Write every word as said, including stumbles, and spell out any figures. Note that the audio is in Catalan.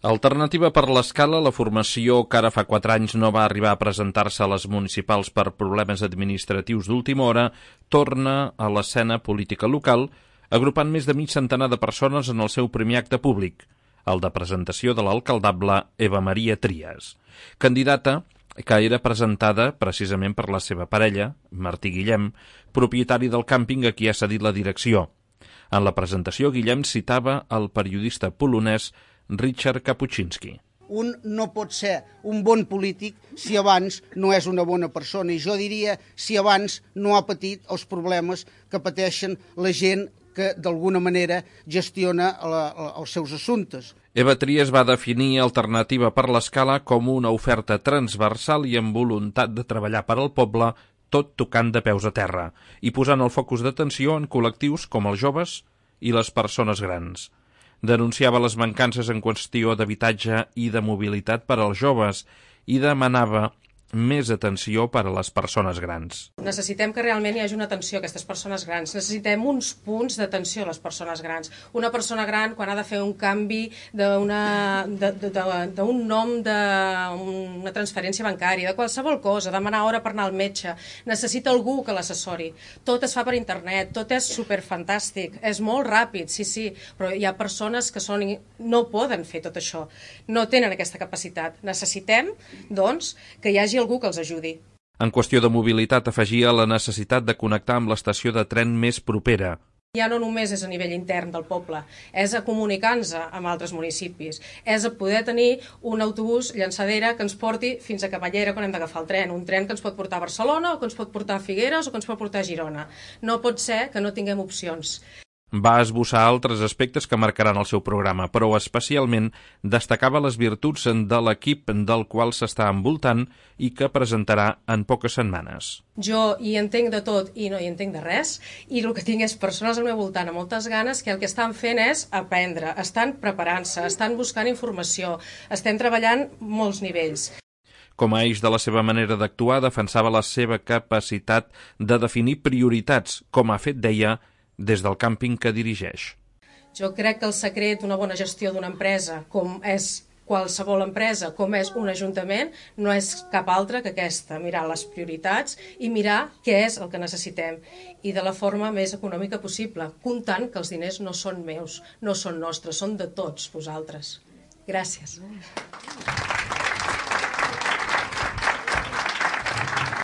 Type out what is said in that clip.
Alternativa per l'Escala, la formació que ara fa quatre anys no va arribar a presentar-se a les municipals per problemes administratius d'última hora, torna a l'escena política local, agrupant més de mig centenar de persones en el seu primer acte públic, el de presentació de l'alcaldable Eva Maria Trias, candidata que era presentada precisament per la seva parella, Martí Guillem, propietari del càmping a qui ha cedit la direcció. En la presentació, Guillem citava el periodista polonès Richard Kapuscinski. Un no pot ser un bon polític si abans no és una bona persona, i jo diria si abans no ha patit els problemes que pateixen la gent que d'alguna manera gestiona la, la, els seus assumptes. Eva Trias va definir Alternativa per l'Escala com una oferta transversal i amb voluntat de treballar per al poble, tot tocant de peus a terra i posant el focus d'atenció en col·lectius com els joves i les persones grans. Denunciava les mancances en qüestió d'habitatge i de mobilitat per als joves i demanava més atenció per a les persones grans. Necessitem que realment hi hagi una atenció a aquestes persones grans. Necessitem uns punts d'atenció a les persones grans. Una persona gran, quan ha de fer un canvi d'un nom, d'una transferència bancària, de qualsevol cosa, demanar hora per anar al metge, necessita algú que l'assessori. Tot es fa per internet, tot és superfantàstic, és molt ràpid, sí, sí, però hi ha persones que són, no poden fer tot això, no tenen aquesta capacitat. Necessitem, doncs, que hi hagi algú que els ajudi. En qüestió de mobilitat, afegia la necessitat de connectar amb l'estació de tren més propera. Ja no només és a nivell intern del poble, és a comunicar-nos amb altres municipis, és a poder tenir un autobús llançadera que ens porti fins a Camallera quan hem d'agafar el tren, un tren que ens pot portar a Barcelona o que ens pot portar a Figueres o que ens pot portar a Girona. No pot ser que no tinguem opcions. Va esbossar altres aspectes que marcaran el seu programa, però especialment destacava les virtuts de l'equip del qual s'està envoltant i que presentarà en poques setmanes. Jo hi entenc de tot i no hi entenc de res, i el que tinc és persones al meu voltant amb moltes ganes que el que estan fent és aprendre, estan preparant-se, estan buscant informació, estem treballant molts nivells. Com a eix de la seva manera d'actuar, defensava la seva capacitat de definir prioritats, com ha fet, deia, des del càmping que dirigeix. Jo crec que el secret d'una bona gestió d'una empresa, com és qualsevol empresa, com és un ajuntament, no és cap altra que aquesta, mirar les prioritats i mirar què és el que necessitem, i de la forma més econòmica possible, comptant que els diners no són meus, no són nostres, són de tots vosaltres. Gràcies.